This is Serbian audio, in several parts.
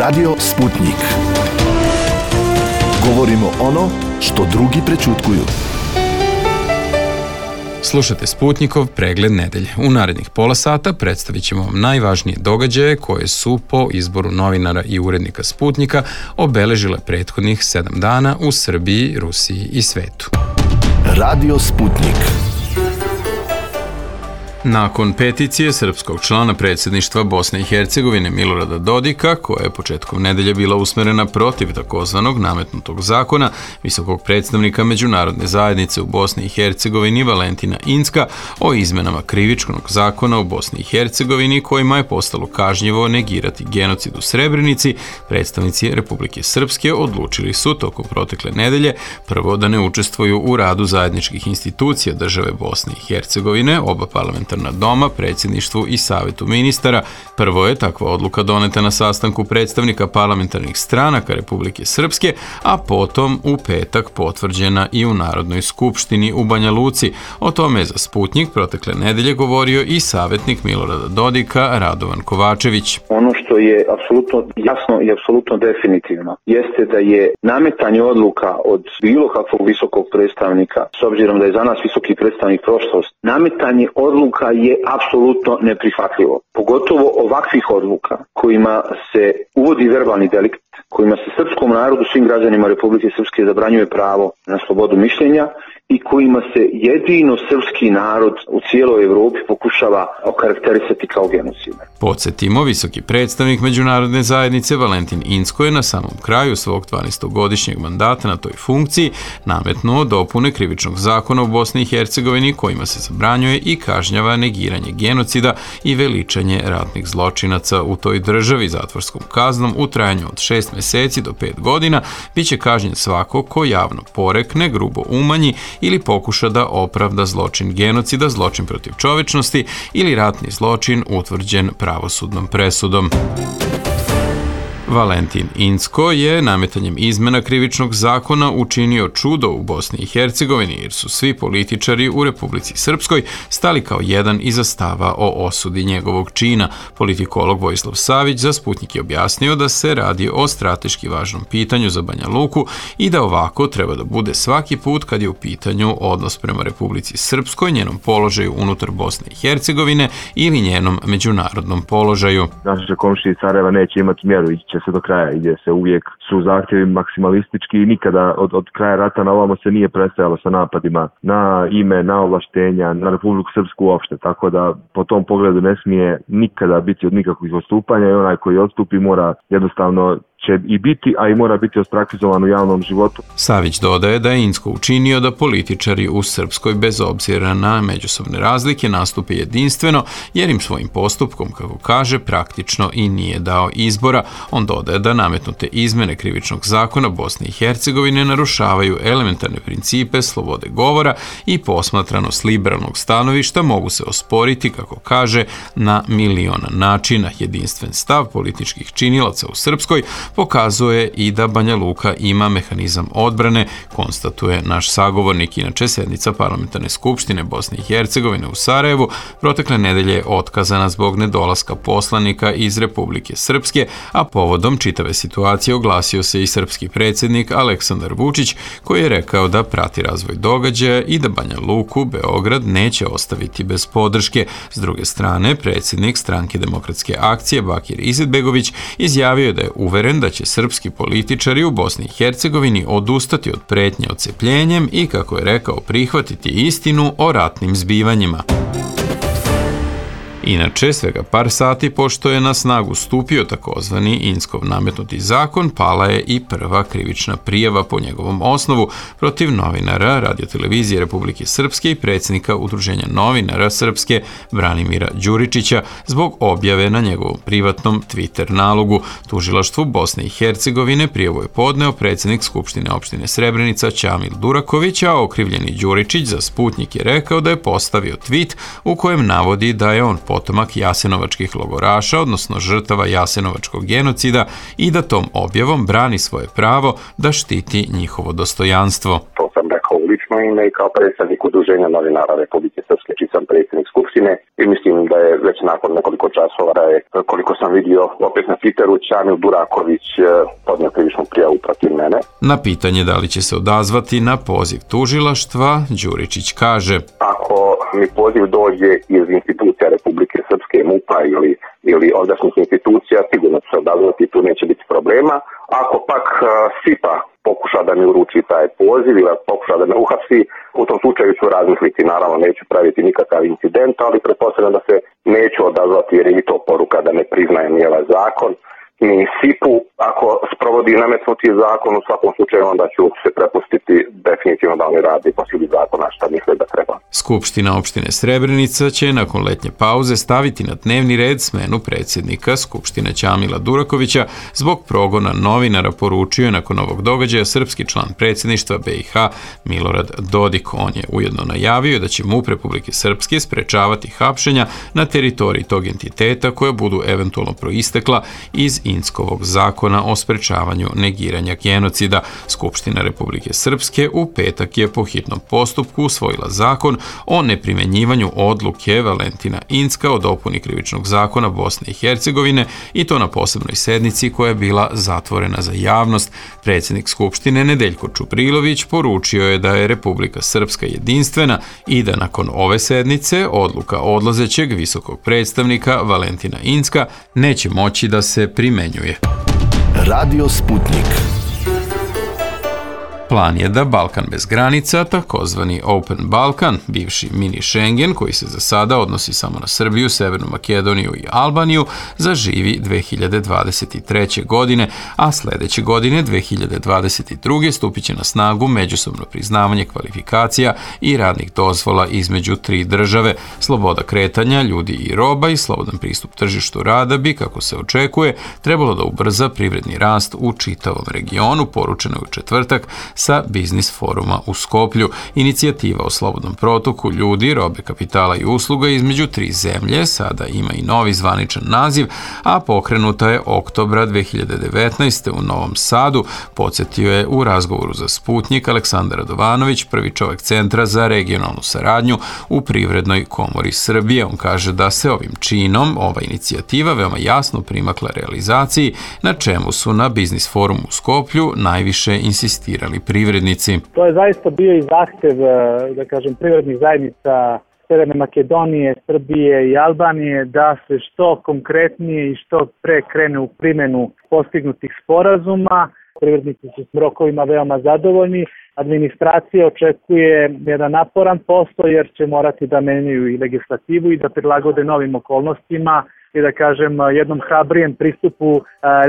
Radio Sputnik. Govorimo ono što drugi prećutkuju. Slušate Sputnikov pregled nedelje. U narednih pola sata predstavit ćemo vam najvažnije događaje koje su po izboru novinara i urednika Sputnika obeležile prethodnih 7 dana u Srbiji, Rusiji i svetu. Radio Sputnik. Nakon peticije srpskog člana predsjedništva Bosne i Hercegovine Milorada Dodika, koja je početkom nedelje bila usmerena protiv takozvanog nametnutog zakona visokog predstavnika međunarodne zajednice u Bosni i Hercegovini Valentina Incka o izmenama krivičnog zakona u Bosni i Hercegovini kojima je postalo kažnjivo negirati genocid u Srebrenici, predstavnici Republike Srpske odlučili su tokom protekle nedelje prvo da ne učestvuju u radu zajedničkih institucija države Bosne i Hercegovine, oba parlamentarna doma, predsjedništvu i savetu ministara. Prvo je takva odluka doneta na sastanku predstavnika parlamentarnih stranaka Republike Srpske, a potom u petak potvrđena i u Narodnoj skupštini u Banja Luci. O tome je za Sputnik protekle nedelje govorio i savjetnik Milorada Dodika Radovan Kovačević. Ono što je apsolutno jasno i apsolutno definitivno jeste da je nametanje odluka od bilo kakvog visokog predstavnika, s obzirom da je za nas visoki predstavnik prošlost, nametanje odluka je apsolutno neprihvatljivo. Pogotovo ovakvih odluka kojima se uvodi verbalni delikt, kojima se srpskom narodu, svim građanima Republike Srpske zabranjuje pravo na slobodu mišljenja i kojima se jedino srpski narod u cijeloj Evropi pokušava okarakterisati kao genocida. Podsjetimo, visoki predstavnik međunarodne zajednice Valentin Incko je na samom kraju svog 12-godišnjeg mandata na toj funkciji nametnuo dopune krivičnog zakona u Bosni i Hercegovini kojima se zabranjuje i kažnjava negiranje genocida i veličanje ratnih zločinaca u toj državi zatvorskom kaznom u trajanju od 6 mjeseci do 5 godina. Biće kažnjen svako ko javno porekne, grubo umanji ili pokuša da opravda zločin genocida, zločin protiv čovječnosti ili ratni zločin utvrđen pravosudnom presudom. Valentin Incko je nametanjem izmena krivičnog zakona učinio čudo u Bosni i Hercegovini jer su svi političari u Republici Srpskoj stali kao jedan iza stava o osudi njegovog čina. Politikolog Vojislav Savić za Sputnik je objasnio da se radi o strateški važnom pitanju za Banja Luku i da ovako treba da bude svaki put kad je u pitanju odnos prema Republici Srpskoj, njenom položaju unutar Bosne i Hercegovine ili njenom međunarodnom položaju. Naše komšije iz Sarajeva neće imati mjeru, ići će se do kraja, gdje se uvijek su zahtjevi maksimalistički i nikada od kraja rata na ovamo se nije prestajalo sa napadima na ime, na ovlaštenja, na Republiku Srpsku uopšte, tako da po tom pogledu ne smije nikada biti od nikakvih odstupanja i onaj koji odstupi mora jednostavno će i biti, a i mora biti ostrakizovan u javnom životu. Savić dodaje da je Incko učinio da političari u Srpskoj bez obzira na međusobne razlike nastupe jedinstveno, jer im svojim postupkom, kako kaže, praktično i nije dao izbora. On dodaje da nametnute izmene krivičnog zakona Bosne i Hercegovine narušavaju elementarne principe slobode govora i posmatrano s liberalnog stanovišta mogu se osporiti, kako kaže, na miliona načina. Jedinstven stav političkih činilaca u Srpskoj pokazuje i da Banja Luka ima mehanizam odbrane, konstatuje naš sagovornik. Inače, sjednica parlamentarne skupštine Bosne i Hercegovine u Sarajevu protekle nedelje je otkazana zbog nedolaska poslanika iz Republike Srpske, a povodom čitave situacije oglasio se i srpski predsjednik Aleksandar Vučić, koji je rekao da prati razvoj događaja i da Banja Luku Beograd neće ostaviti bez podrške. S druge strane, predsjednik Stranke demokratske akcije Bakir Izetbegović izjavio je da je uveren da će srpski političari u Bosni i Hercegovini odustati od pretnje odcepljenjem i, kako je rekao, prihvatiti istinu o ratnim zbivanjima. Inače, svega par sati pošto je na snagu stupio takozvani Inckov nametnuti zakon, pala je i prva krivična prijava po njegovom osnovu protiv novinara Radiotelevizije Republike Srpske i predsjednika Udruženja novinara Srpske Branimira Đuričića zbog objave na njegovom privatnom Twitter nalogu. Tužilaštvu Bosne i Hercegovine prijavu je podneo predsjednik Skupštine opštine Srebrenica Ćamil Duraković, a okrivljeni Đuričić za Sputnik je rekao da je postavio tweet u kojem navodi da je on potomak jasenovačkih logoraša, odnosno žrtava jasenovačkog genocida, i da tom objavom brani svoje pravo da štiti njihovo dostojanstvo. To sam rekao u lično ime i kao predstavnik Udruženja novinara Republike Srpske, čiji sam predsjednik Skupštine, i mislim da je već nakon nekoliko časova, koliko sam vidio opet na Twitteru, Ćamil Duraković podnio krivičnu prijavu protiv mene. Na pitanje da li će se odazvati na poziv tužilaštva, Đuričić kaže: Ako mi poziv dođe iz institucija Republike Srpske, MUP-a ili ovdašnjih institucija, sigurno će se odazvati, tu neće biti problema. Ako pak SIPA pokuša da mi uruči taj poziv ili pokuša da me uhapsi, u tom slučaju ću razmisliti. Naravno, neću praviti nikakav incident, ali pretpostavljam da se neću odazvati jer je i to poruka da ne priznajem ni ovaj zakon, ni SIP-u. Ako sprovodi nametnuti zakon, u svakom slučaju onda ću se prepustiti definitivno da oni radi po sili zakona šta misle da treba. Skupština opštine Srebrenica će nakon letnje pauze staviti na dnevni red smenu predsjednika Skupštine Ćamila Durakovića zbog progona novinara, poručio je nakon ovog događaja srpski član predsjedništva BiH Milorad Dodik. On je ujedno najavio da će MUP Republike Srpske sprečavati hapšenja na teritoriji tog entiteta koja budu eventualno proistekla iz Inckovog zakona o sprečavanju negiranja genocida. Skupština Republike Srpske u petak je po hitnom postupku usvojila zakon o neprimjenjivanju odluke Valentina Incka o dopuni krivičnog zakona Bosne i Hercegovine, i to na posebnoj sednici koja je bila zatvorena za javnost. Predsjednik Skupštine Nedeljko Čuprilović poručio je da je Republika Srpska jedinstvena i da nakon ove sednice odluka odlazećeg visokog predstavnika Valentina Incka neće moći da se primenjuje. Radio Sputnik. Plan je da Balkan bez granica, takozvani Open Balkan, bivši mini Schengen, koji se za sada odnosi samo na Srbiju, Severnu Makedoniju i Albaniju, zaživi 2023. godine, a sljedeće godine, 2022. stupit će na snagu međusobno priznavanje kvalifikacija i radnih dozvola između tri države. Sloboda kretanja ljudi i roba i slobodan pristup tržištu rada bi, kako se očekuje, trebalo da ubrza privredni rast u čitavom regionu, poručeno je u četvrtak sa Biznis foruma u Skoplju. Inicijativa o slobodnom protoku ljudi, robe, kapitala i usluga između tri zemlje sada ima i novi zvaničan naziv, a pokrenuta je oktobra 2019. u Novom Sadu, podsjetio je u razgovoru za Sputnik Aleksandar Radovanović, prvi čovjek Centra za regionalnu saradnju u Privrednoj komori Srbije. On kaže da se ovim činom ova inicijativa veoma jasno primakla realizaciji, na čemu su na Biznis forumu u Skoplju najviše insistirali privrednici. To je zaista bio i zahtev, da kažem, privrednih zajednica Severne Makedonije, Srbije i Albanije da se što konkretnije i što pre krene u primjenu postignutih sporazuma. Privrednici su s rokovima veoma zadovoljni. Administracija očekuje jedan naporan posao jer će morati da menjaju i legislativu i da prilagode novim okolnostima i da kažem jednom hrabrijem pristupu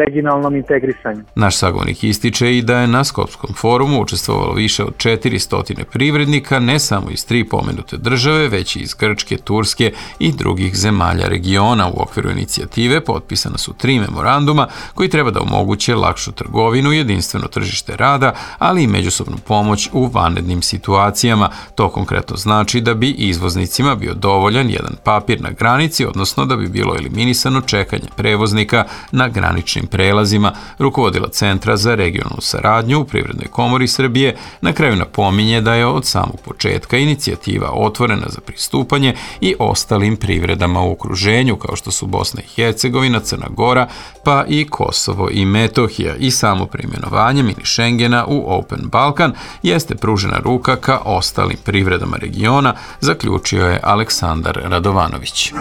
regionalnom integrisanju. Naš sagovornik ističe i da je na Skopskom forumu učestvovalo više od 400 privrednika, ne samo iz tri pomenute države, već i iz Grčke, Turske i drugih zemalja regiona. U okviru inicijative potpisana su 3 memoranduma koji treba da omoguće lakšu trgovinu, jedinstveno tržište rada, ali i međusobnu pomoć u vanrednim situacijama. To konkretno znači da bi izvoznicima bio dovoljan jedan papir na granici, odnosno da bi bilo eliminisano čekanje prevoznika na graničnim prelazima. Rukovodila Centra za regionalnu saradnju u Privrednoj komori Srbije na kraju napominje da je od samog početka inicijativa otvorena za pristupanje i ostalim privredama u okruženju, kao što su Bosna i Hercegovina, Crna Gora, pa i Kosovo i Metohija, i samo preimenovanje mini Schengena u Open Balkan jeste pružena ruka ka ostalim privredama regiona, zaključio je Aleksandar Radovanović.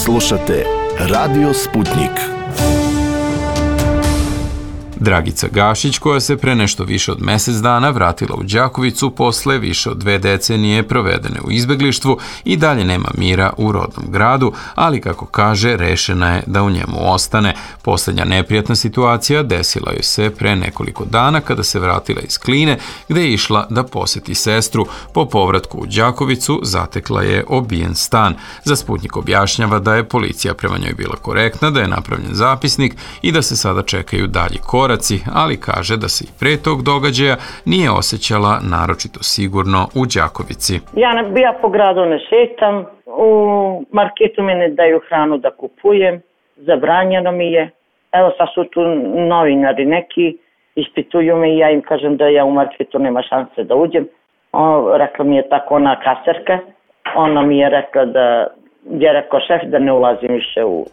Slušate Radio Sputnik. Dragica Gašić, koja se pre nešto više od mjesec dana vratila u Đakovicu posle više od 2 decenije provedene u izbeglištvu, i dalje nema mira u rodnom gradu, ali kako kaže, rešena je da u njemu ostane. Posljednja neprijatna situacija desila joj se pre nekoliko dana kada se vratila iz Kline, gde je išla da posjeti sestru. Po povratku u Đakovicu zatekla je obijen stan. Za Sputnik objašnjava da je policija prema njoj bila korektna, da je napravljen zapisnik i da se sada čekaju dalji koraci, koraci, ali kaže da se i pre tog događaja nije osjećala naročito sigurno u Đakovici. Ja po gradu ne šetam, u marketu mi ne daju hranu da kupujem, zabranjeno mi je. Evo sad su tu novinari neki, ispituju me i ja im kažem da ja u marketu nema šanse da uđem. Rekla mi je tako ona kaserka, ona mi je rekla da je rekao šef da ne ulazim više u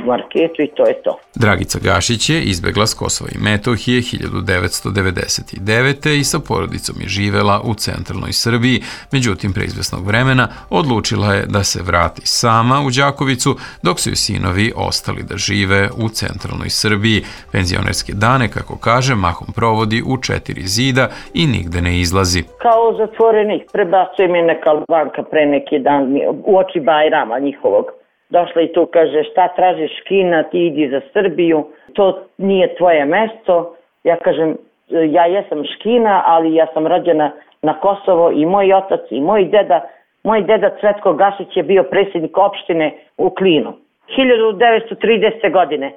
marketu i to je to. Dragica Gašić je izbegla s Kosova i Metohije 1999. i sa porodicom je živela u centralnoj Srbiji, međutim pre izvesnog vremena odlučila je da se vrati sama u Đakovicu, dok su joj sinovi ostali da žive u centralnoj Srbiji. Penzionerske dane, kako kaže, mahom provodi u 4 zida i nigde ne izlazi. Kao zatvorenik, prebacuje mi neka Albanka pre neki dan u oči Bajrama njihovog. Došla i tu kaže šta tražiš Kina, ti idi za Srbiju, to nije tvoje mesto. Ja kažem, ja jesam Škina, ali ja sam rođena na Kosovo i moj otac i moj deda Cvetko Gašić je bio predsjednik opštine u Klinu. 1930. godine,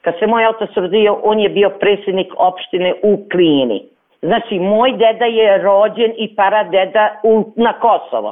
kad se moj otac rodio, on je bio predsjednik opštine u Klini. Znači, moj deda je rođen i paradeda na Kosovo.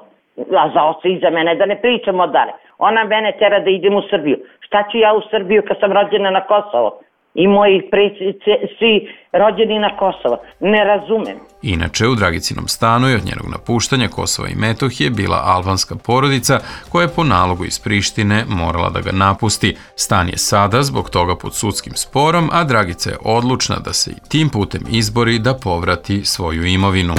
A za oca i za mene, da ne pričamo dalje. Ona mene tera da idem u Srbiju. Šta ću ja u Srbiju kad sam rođena na Kosovo? I moji predsjednici svi rođeni na Kosovo. Ne razumem. Inače, u Dragicinom stanu je od njenog napuštanja Kosova i Metohije bila albanska porodica koja je po nalogu iz Prištine morala da ga napusti. Stan je sada zbog toga pod sudskim sporom, a Dragica je odlučna da se i tim putem izbori da povrati svoju imovinu.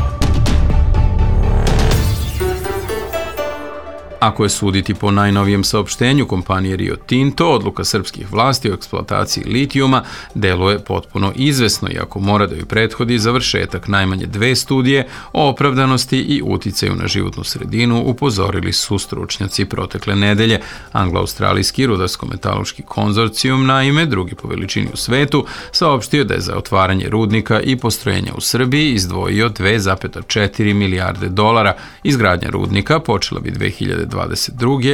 Ako je suditi po najnovijem saopštenju kompanije Rio Tinto, odluka srpskih vlasti o eksploataciji litijuma deluje potpuno izvesno, iako mora da joj prethodi završetak najmanje 2 studije o opravdanosti i uticaju na životnu sredinu, upozorili su stručnjaci protekle nedelje. Anglo-australijski rudarsko-metaloški konzorcijum, naime, drugi po veličini u svetu, saopštio da je za otvaranje rudnika i postrojenja u Srbiji izdvojio 2,4 milijarde dolara. Izgradnja rudnika počela bi 2022.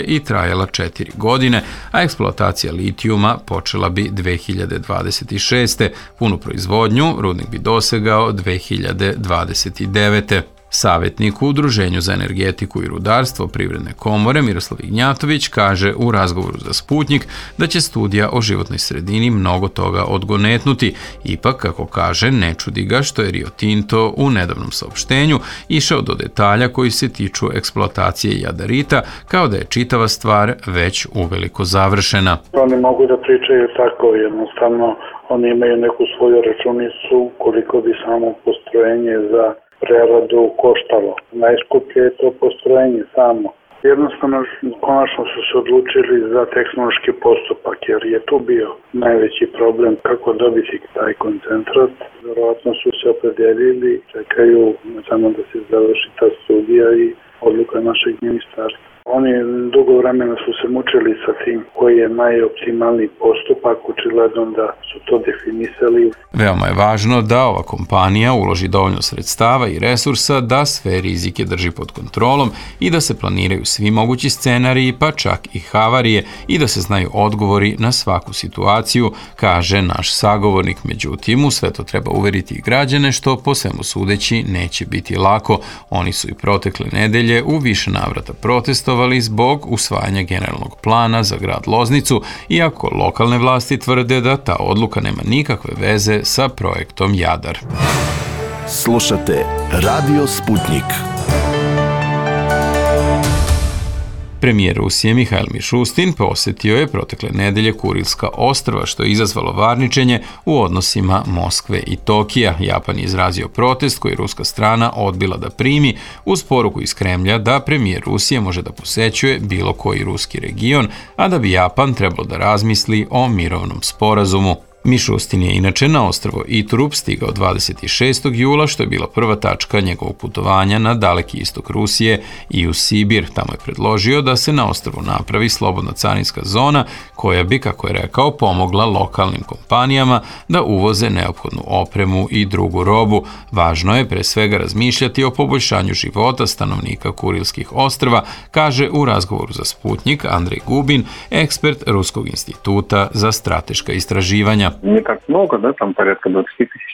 i trajala 4 godine, a eksploatacija litijuma počela bi 2026. Punu proizvodnju rudnik bi dosegao 2029. Savjetnik u Udruženju za energetiku i rudarstvo Privredne komore Miroslav Ignjatović kaže u razgovoru za Sputnjik da će studija o životnoj sredini mnogo toga odgonetnuti. Ipak, kako kaže, ne čudi ga što je Rio Tinto u nedavnom saopštenju išao do detalja koji se tiču eksploatacije jadarita, kao da je čitava stvar već uveliko završena. Oni mogu da pričaju tako, jednostavno oni imaju neku svoju računicu koliko bi samo postrojenje za preradu koštalo. Najskuplje je to postrojenje samo. Jednostavno, konačno su se odlučili za tehnološki postupak, jer je tu bio najveći problem kako dobiti taj koncentrat. Verovatno su se opredelili, čekaju samo da se završi ta studija i odluka našeg ministarstva. Oni dugo vremena su se mučili sa tim koji je najoptimalniji postupak, očigledno da su to definisali. Veoma je važno da ova kompanija uloži dovoljno sredstava i resursa da sve rizike drži pod kontrolom i da se planiraju svi mogući scenariji, pa čak i havarije, i da se znaju odgovori na svaku situaciju, kaže naš sagovornik. Međutim, u sve to treba uveriti i građane, što po svemu sudeći neće biti lako. Oni su i protekle nedelje u više navrata protestovali zbog usvajanja generalnog plana za grad Loznicu, iako lokalne vlasti tvrde da ta odluka nema nikakve veze sa projektom Jadar. Slušate Radio Sputnik. Premijer Rusije Mihajl Mišustin posjetio je protekle nedelje Kurilska ostrva, što je izazvalo varničenje u odnosima Moskve i Tokija. Japan je izrazio protest koji ruska strana odbila da primi, uz poruku iz Kremlja da premijer Rusije može da posećuje bilo koji ruski region, a da bi Japan trebalo da razmisli o mirovnom sporazumu. Mišustin je inače na ostrvo Iturup stigao 26. jula, što je bila prva tačka njegovog putovanja na daleki istok Rusije i u Sibir. Tamo je predložio da se na ostrvu napravi slobodna carinska zona koja bi, kako je rekao, pomogla lokalnim kompanijama da uvoze neophodnu opremu i drugu robu. Važno je pre svega razmišljati o poboljšanju života stanovnika Kurilskih ostrva, kaže u razgovoru za Sputnjik Andrej Gubin, ekspert Ruskog instituta za strateška istraživanja. Nije tako mnogo, da, tam porядка 20.000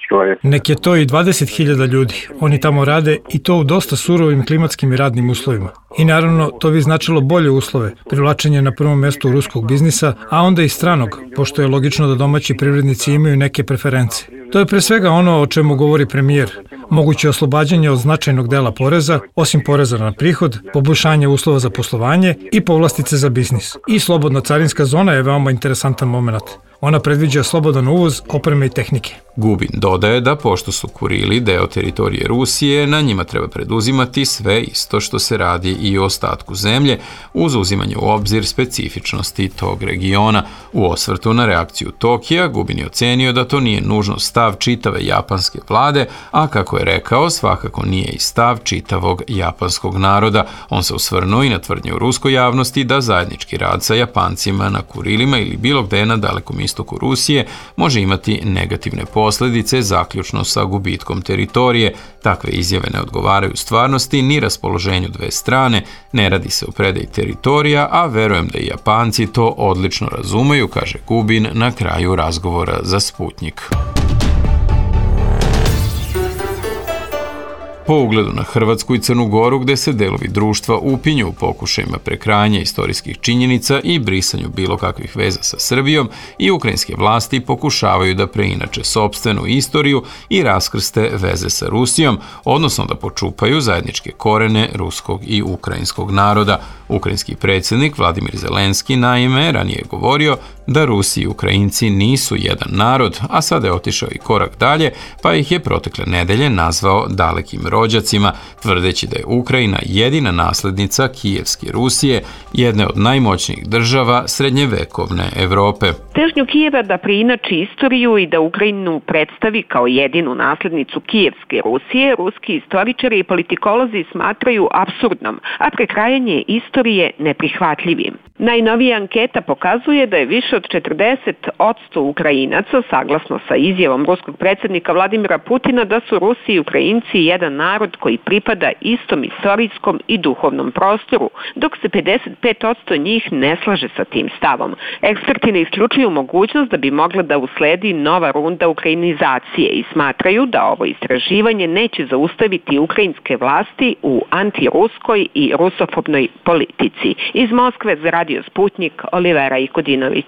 čovjeka. Nek je to i 20.000 ljudi. Oni tamo rade i to u dosta surovim klimatskim i radnim uslovima. I naravno, to bi značilo bolje uslove, privlačenje na prvom mjestu ruskog biznisa, a onda i stranog, pošto je logično da domaći privrednici imaju neke preference. To je pre svega ono o čemu govori premijer. Moguće oslobađanje od značajnog dela poreza, osim poreza na prihod, poboljšanje uslova za poslovanje i povlastice za biznis. I slobodna carinska zona je veoma interesantan moment. Ona predviđa slobodan uvoz opreme i tehnike. Gubin dodaje da pošto su Kurili deo teritorije Rusije, na njima treba preduzimati sve isto što se radi i o ostatku zemlje, uz uzimanje u obzir specifičnosti tog regiona. U osvrtu na reakciju Tokija, Gubin je ocenio da to nije nužno stav čitave japanske vlade, a kako je rekao, svakako nije i stav čitavog japanskog naroda. On se osvrnuo i na tvrdnje u ruskoj javnosti da zajednički rad sa Japancima na Kurilima ili bilo gde na dalekom istoku Rusije može imati negativne posljedice, zaključno sa gubitkom teritorije. Takve izjave ne odgovaraju stvarnosti ni raspoloženju dve strane, ne radi se o predaji teritorija, a verujem da i Japanci to odlično razumeju, kaže Gubin na kraju razgovora za Sputnik. Po ugledu na Hrvatsku i Crnu Goru, gde se delovi društva upinju u pokušajima prekrajanja istorijskih činjenica i brisanju bilo kakvih veza sa Srbijom, i ukrajinske vlasti pokušavaju da preinače sopstvenu istoriju i raskrste veze sa Rusijom, odnosno da počupaju zajedničke korene ruskog i ukrajinskog naroda. Ukrajinski predsjednik Vladimir Zelenski naime ranije govorio da Rusi i Ukrajinci nisu jedan narod, a sada je otišao i korak dalje, pa ih je protekle nedelje nazvao dalekim rođacima, tvrdeći da je Ukrajina jedina naslednica Kijevske Rusije, jedne od najmoćnijih država srednjevekovne Evrope. Težnju Kijeva da preinači istoriju i da Ukrajinu predstavi kao jedinu naslednicu Kijevske Rusije, ruski istoričari i politikolozi smatraju apsurdnom, a prekrajanje istorije neprihvatljivim. Najnovija anketa pokazuje da je više od 40% Ukrajinaca, saglasno sa izjavom ruskog predsjednika Vladimira Putina, da su Rusi i Ukrajinci jedan narod koji pripada istom istorijskom i duhovnom prostoru, dok se 55% njih ne slaže sa tim stavom. Eksperti ne isključuju mogućnost da bi mogla da usledi nova runda ukrajinizacije i smatraju da ovo istraživanje neće zaustaviti ukrajinske vlasti u antiruskoj i rusofobnoj politici. Iz Moskve za Radio Sputnik, Olivera Ikodinović.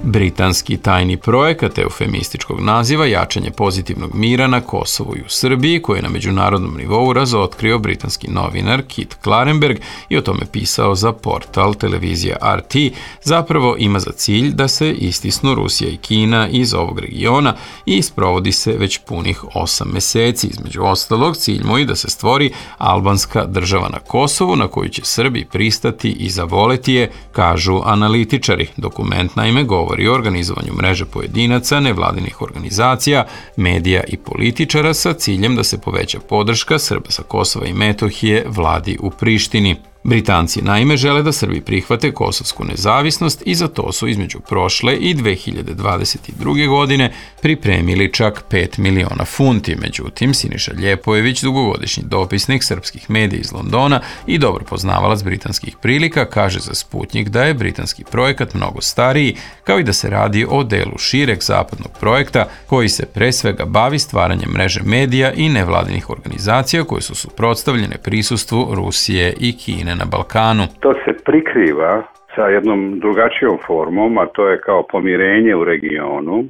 Britanski tajni projekat eufemističkog naziva jačanje pozitivnog mira na Kosovu i u Srbiji, koji je na međunarodnom nivou razotkrio britanski novinar Kit Klarenberg i o tome pisao za portal televizija RT, zapravo ima za cilj da se istisnu Rusija i Kina iz ovog regiona i sprovodi se već punih 8 meseci. Između ostalog, cilj mu je da se stvori albanska država na Kosovu na koju će Srbi pristati i zavoleti je, kažu analitičari. Dokument naime govori o organizovanju mreže pojedinaca, nevladinih organizacija, medija i političara sa ciljem da se poveća podrška Srba sa Kosova i Metohije vladi u Prištini. Britanci naime žele da Srbi prihvate kosovsku nezavisnost i za to su između prošle i 2022. godine pripremili čak 5 miliona funti. Međutim, Siniša Ljepojević, dugogodišnji dopisnik srpskih medija iz Londona i dobro poznavalac britanskih prilika, kaže za Sputnik da je britanski projekat mnogo stariji, kao i da se radi o delu šireg zapadnog projekta koji se pre svega bavi stvaranjem mreže medija i nevladinih organizacija koje su suprotstavljene prisustvu Rusije i Kine na Balkanu. To se prikriva sa jednom drugačijom formom, a to je kao pomirenje u regionu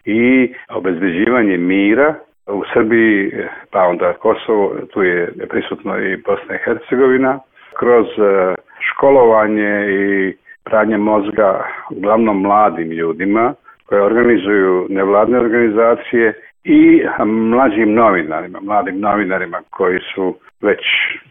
i obezbeđivanje mira u Srbiji, pa onda Kosovo, tu je prisutno i Bosna i Hercegovina, kroz školovanje i pranje mozga uglavnom mladim ljudima koje organizuju nevladne organizacije i mladim novinarima koji su već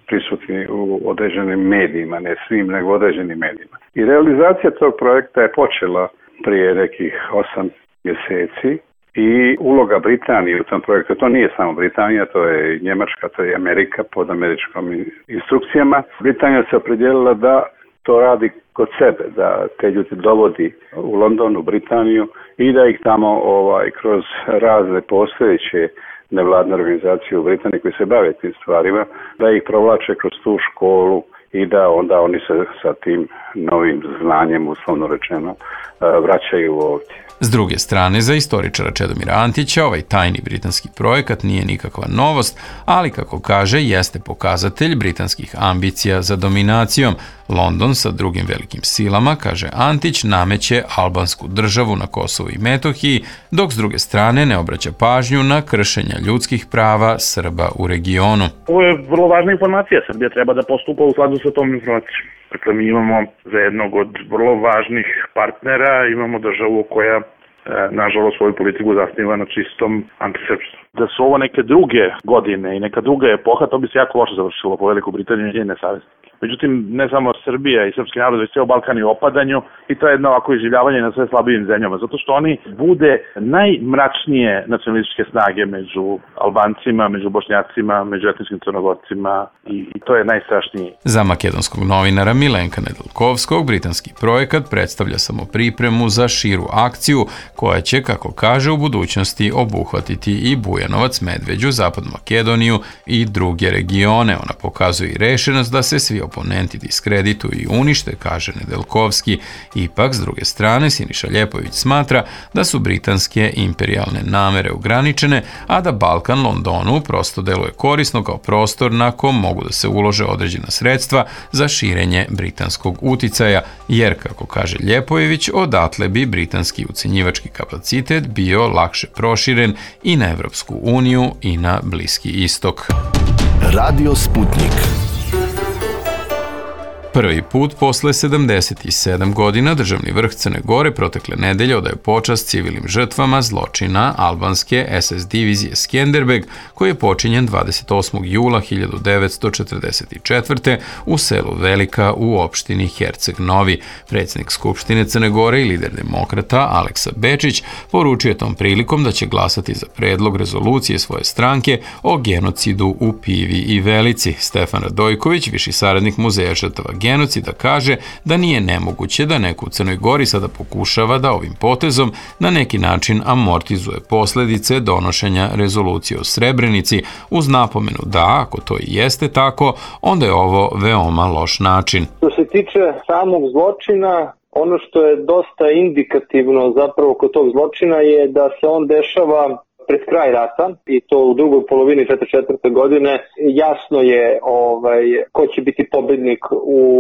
prisutni u određenim medijima, ne svim, nego određenim medijima. I realizacija tog projekta je počela prije nekih 8 mjeseci i uloga Britanije u tom projektu, to nije samo Britanija, to je Njemačka, to je Amerika pod američkom instrukcijama. Britanija se opredijelila da to radi kod sebe, da te ljudi dovodi u London, u Britaniju i da ih tamo kroz razne postojeće nevladne organizacije u Britaniji koji se bave tim stvarima, da ih provlače kroz tu školu i da onda oni se sa tim novim znanjem, uslovno rečeno, vraćaju ovdje. S druge strane, za istoričara Čedomira Antića ovaj tajni britanski projekat nije nikakva novost, ali kako kaže, jeste pokazatelj britanskih ambicija za dominacijom. London sa drugim velikim silama, kaže Antić, nameće albansku državu na Kosovu i Metohiji, dok s druge strane ne obraća pažnju na kršenja ljudskih prava Srba u regionu. Ovo je vrlo važna informacija. Srbija treba da postupa u skladu sa tom informacijom. Dakle, mi imamo za jednog od vrlo važnih partnera, imamo državu koja nažalost svoju politiku zasniva na čistom antisrpstvu. Da su ovo neke druge godine i neka druga epoha, to bi se jako loše završilo po Veliku Britaniju i njene saveznike. Međutim, ne samo Srbija i srpski narod, već ceo Balkan je u opadanju i to je jedno ovako iživljavanje na sve slabijim zemljama, zato što oni bude najmračnije nacionalističke snage među Albancima, među Bošnjacima, među etničkim Crnogorcima i to je najstrašnije. Za makedonskog novinara Milenka Nedeljkovskog, britanski projekat predstavlja samo pripremu za širu akciju koja će, kako kaže, u budućnosti obuhvatiti i Bujanovac, Medveđu, Zapadnu Makedoniju i druge regione. Ona pokazuje i rešenost da se svi oponenti diskredituju i unište, kaže Nedeljkovski. Ipak, s druge strane, Siniša Ljepović smatra da su britanske imperijalne namere ograničene, a da Balkan Londonu prosto deluje korisno kao prostor na kom mogu da se ulože određena sredstva za širenje britanskog uticaja, jer, kako kaže Ljepojević, odatle bi britanski ucenjivački kapacitet bio lakše proširen i na Evropsku uniju i na Bliski istok. Radio Sputnik. Prvi put posle 77 godina državni vrh Crne Gore protekle nedelje odaje počast civilnim žrtvama zločina albanske SS divizije Skenderbeg, koji je počinjen 28. jula 1944. u selu Velika u opštini Herceg Novi. Predsjednik Skupštine Crne Gore i lider demokrata Aleksa Bečić poručio je tom prilikom da će glasati za predlog rezolucije svoje stranke o genocidu u Pivi i Velici. Stefan Radojković, viši saradnik Muzeja žrtava genocida, kaže da nije nemoguće da neko u Crnoj Gori sada pokušava da ovim potezom na neki način amortizuje posledice donošenja rezolucije o Srebrenici, uz napomenu da, ako to i jeste tako, onda je ovo veoma loš način. Što se tiče samog zločina, ono što je dosta indikativno zapravo kod tog zločina je da se on dešava pred kraj rata i to u drugoj polovini 1944. godine. Jasno je ko će biti pobednik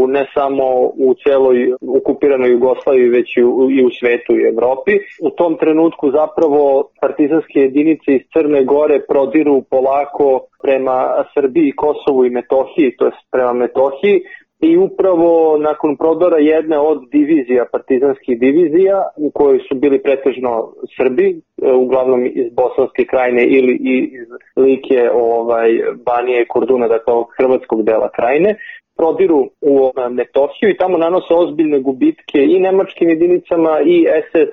ne samo u celoj okupiranoj Jugoslaviji, već i u svetu i Evropi. U tom trenutku zapravo partizanske jedinice iz Crne Gore prodiru polako prema Srbiji, Kosovu i Metohiji, to jest prema Metohiji. I upravo nakon prodora jedne od divizija, partizanskih divizija, u kojoj su bili pretežno Srbi, uglavnom iz Bosanske krajine ili iz Like, Banije i Korduna, dakle ovog hrvatskog dela krajine, prodiru u Metohiju i tamo nanose ozbiljne gubitke i nemačkim jedinicama i SS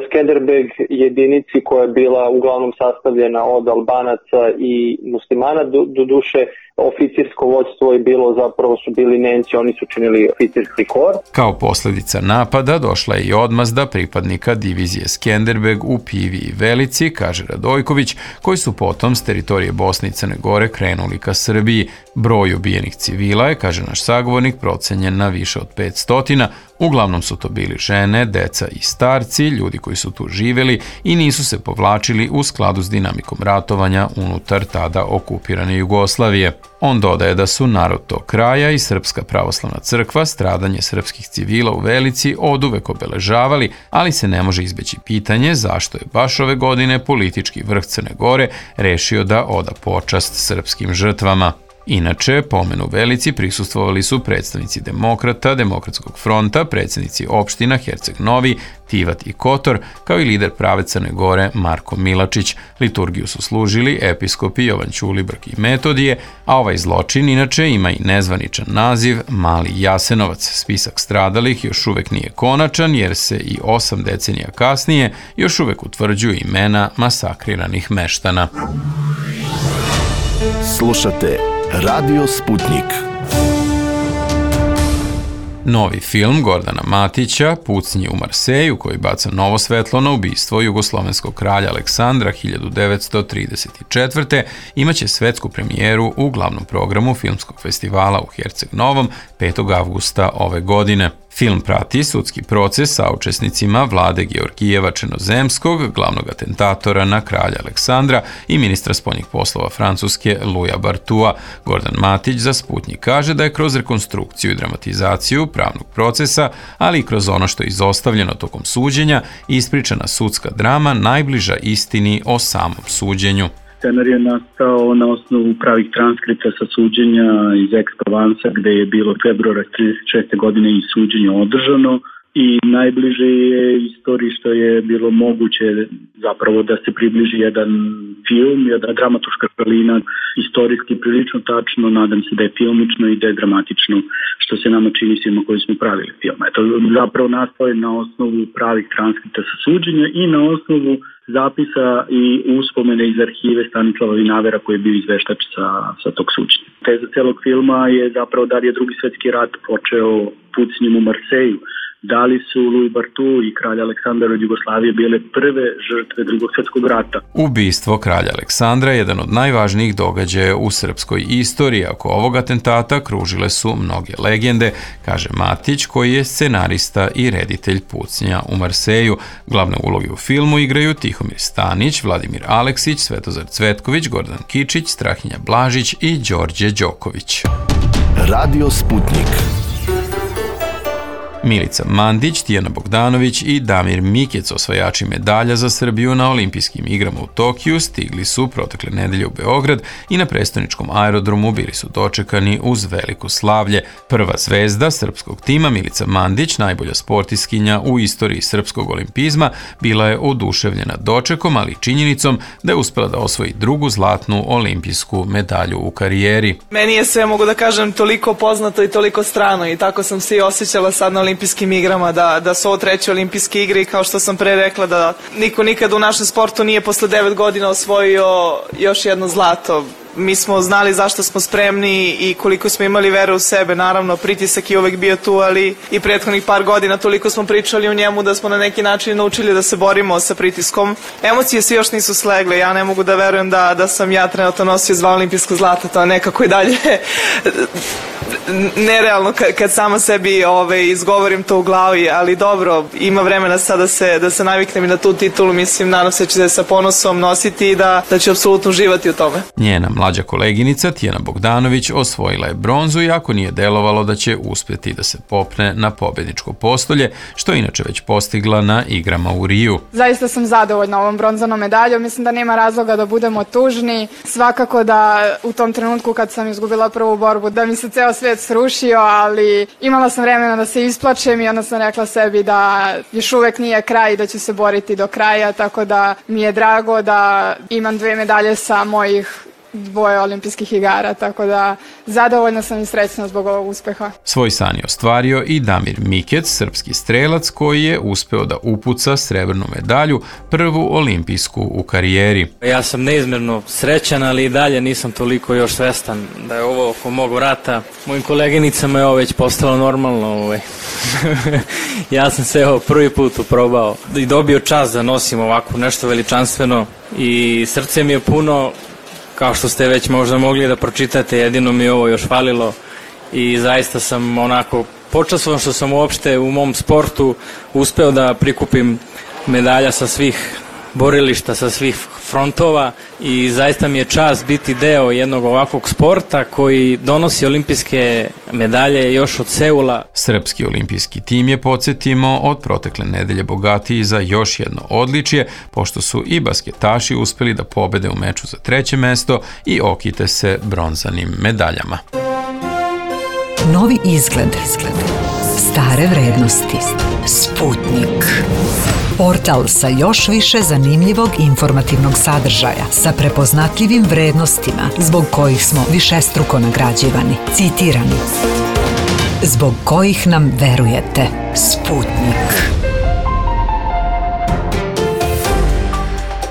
Skenderbeg jedinici koja je bila uglavnom sastavljena od Albanaca i muslimana, do duše oficirsko vođstvo je bilo, zapravo su bili Nemci, oni su činili oficirski kor. Kao posljedica napada došla je i odmazda pripadnika divizije Skenderbeg u Pivi i Velici, kaže Radojković, koji su potom s teritorije Bosne i Crne Gore krenuli ka Srbiji. Broj ubijenih civila je, kaže naš sagovornik, procenjen na više od 500. Uglavnom su to bili žene, deca i starci, ljudi koji su tu živjeli i nisu se povlačili u skladu s dinamikom ratovanja unutar tada okupirane Jugoslavije. On dodaje da su narod tog kraja i Srpska pravoslavna crkva stradanje srpskih civila u Velici oduvek obeležavali, ali se ne može izbeći pitanje zašto je baš ove godine politički vrh Crne Gore rešio da oda počast srpskim žrtvama. Inače, pomenu Velici prisustvovali su predstavnici Demokrata, Demokratskog fronta, predsjednici opština Herceg Novi, Tivat i Kotor, kao i lider prave Crne Gore Marko Milačić. Liturgiju su služili episkopi Jovan Ćulibrk i Metodije, a ovaj zločin inače ima i nezvaničan naziv Mali Jasenovac. Spisak stradalih još uvek nije konačan, jer se i 8 decenija kasnije još uvek utvrđuju imena masakriranih meštana. Slušate Radio Sputnik. Novi film Gordana Matića, Pucnji u Marseju, koji baca novo svetlo na ubistvo jugoslovenskog kralja Aleksandra 1934. imaće svetsku premijeru u glavnom programu filmskog festivala u Herceg Novom 5. avgusta ove godine. Film prati sudski proces sa učesnicima Vlade Georgijeva Černozemskog, glavnog atentatora na kralja Aleksandra i ministra spoljnih poslova Francuske Louisa Bartua. Gordan Matić za Sputnjik kaže da je kroz rekonstrukciju i dramatizaciju pravnog procesa, ali i kroz ono što je izostavljeno tokom suđenja, ispričana sudska drama najbliža istini o samom suđenju. Scenar je nastao na osnovu pravih transkripta sa suđenja iz Aix-Provence, gde je bilo februara 1936. godine i suđenje održano i najbliže je istoriji što je bilo moguće zapravo da se približi jedan film, jedna dramaturška šalina, istorijski prilično tačno, nadam se da je filmično i da je dramatično, što se nama čini svima koji smo pravili film. Eto, zapravo nastao je na osnovu pravih transkripta sa suđenja i na osnovu zapisa i uspomene iz arhive Stanislava Vinavera koji je bio izveštač sa tog suđenja. Teza celog filma je zapravo da li je Drugi svetski rat počeo pucnjem u Marseju, da li su Louis Barthou i kralj Aleksandar od Jugoslavije bile prve žrtve Drugog svjetskog rata. Ubistvo kralja Aleksandra je jedan od najvažnijih događaja u srpskoj istoriji. Oko ovog atentata kružile su mnoge legende, kaže Matić, koji je scenarista i reditelj Pucnja u Marseju. Glavne uloge u filmu igraju Tihomir Stanić, Vladimir Aleksić, Svetozar Cvetković, Gordan Kičić, Strahinja Blažić i Đorđe Đoković. Radio Sputnik. Milica Mandić, Tijana Bogdanović i Damir Mikec, osvajači medalja za Srbiju na olimpijskim igrama u Tokiju, stigli su protekle nedelje u Beograd i na prestoničkom aerodromu bili su dočekani uz veliko slavlje. Prva zvezda srpskog tima, Milica Mandić, najbolja sportistkinja u istoriji srpskog olimpizma, bila je oduševljena dočekom, ali i činjenicom da je uspela da osvoji drugu zlatnu olimpijsku medalju u karijeri. Meni je sve, mogu da kažem, toliko poznato i toliko strano i tako sam se i osjećala sad na olimpijskim igrama, da su ovo 3. olimpijske igre i kao što sam pre rekla da niko nikad u našem sportu nije posle 9 godina osvojio još jedno zlato. Mi smo znali zašto smo spremni i koliko smo imali vere u sebe. Naravno, pritisak je uvek bio tu, ali i prethodnih par godina toliko smo pričali o njemu da smo na neki način naučili da se borimo sa pritiskom. Emocije svi još nisu slegle. Ja ne mogu da verujem da sam ja trenutno nosio 2 olimpijska zlata. To je nekako i dalje nerealno kad sama sebi izgovorim to u glavi, ali dobro, ima vremena sad da se naviknem i na tu titulu. Mislim, nadam se da će se sa ponosom nositi i da će apsolutno uživati u tome. Njena mlađa koleginica Tijana Bogdanović osvojila je bronzu, iako nije delovalo da će uspjeti da se popne na pobedničko postolje, što je inače već postigla na igrama u Riju. Zaista sam zadovoljna ovom bronzanom medaljom, mislim da nema razloga da budemo tužni. Svakako da u tom trenutku kad sam izgubila prvu borbu da mi se ceo svijet srušio, ali imala sam vremena da se isplačem i onda sam rekla sebi da još uvek nije kraj i da ću se boriti do kraja, tako da mi je drago da imam 2 medalje sa mojih 2 olimpijskih igara, tako da zadovoljna sam i srećna zbog ovog uspeha. Svoj san je ostvario i Damir Mikec, srpski strelac koji je uspeo da upuca srebrnu medalju, prvu olimpijsku u karijeri. Ja sam neizmjerno srećan, ali i dalje nisam toliko još svestan da je ovo oko mog vrata. Mojim koleginicama je ovo već postalo normalno. Ja sam se prvi put uprobao i dobio čast da nosim ovako nešto veličanstveno i srce mi je puno. Kao što ste već možda mogli da pročitate, jedino mi ovo još falilo i zaista sam onako počastvovan što sam uopšte u mom sportu uspeo da prikupim medalja sa svih borilišta, sa svih frontova i zaista mi je čast biti deo jednog ovakvog sporta koji donosi olimpijske medalje još od Seula. Srpski olimpijski tim je, podsjetimo, od protekle nedelje bogatiji za još jedno odličje, pošto su i basketaši uspeli da pobede u meču za 3. mesto i okite se bronzanim medaljama. Novi izgled. Stare vrednosti. Sputnik. Portal sa još više zanimljivog informativnog sadržaja, sa prepoznatljivim vrednostima zbog kojih smo višestruko nagrađivani, citirani, zbog kojih nam verujete. Sputnik.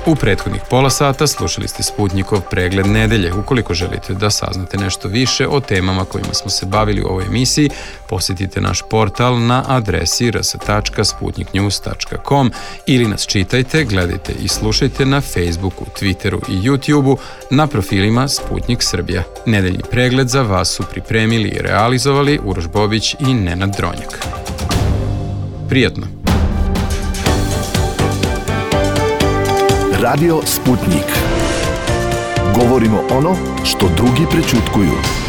U prethodnih pola sata slušali ste Sputnikov pregled nedelje. Ukoliko želite da saznate nešto više o temama kojima smo se bavili u ovoj emisiji, posjetite naš portal na adresi rs.sputniknews.com ili nas čitajte, gledajte i slušajte na Facebooku, Twitteru i YouTubeu na profilima Sputnik Srbija. Nedeljni pregled za vas su pripremili i realizovali Uroš Bobić i Nenad Dronjak. Prijatno! Radio Sputnik. Govorimo ono što drugi prećutkuju.